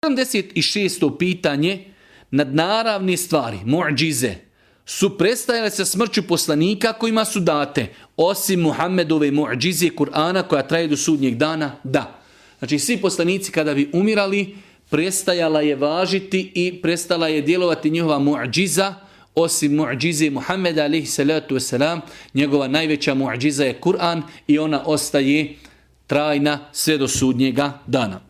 76. pitanje. Nadnaravne stvari, mu'džize, su prestajale sa smrću poslanika kojima su date, osim Muhammedove mu'džize Kur'ana koja traje do sudnjeg dana? Da. Znači svi poslanici kada bi umirali, prestajala je važiti i prestala je djelovati njihova mu'džiza, osim mu'džize Muhammeda alejhi salatu vesselam, njegova najveća mu'džiza je Kur'an i ona ostaje trajna sve do sudnjega dana.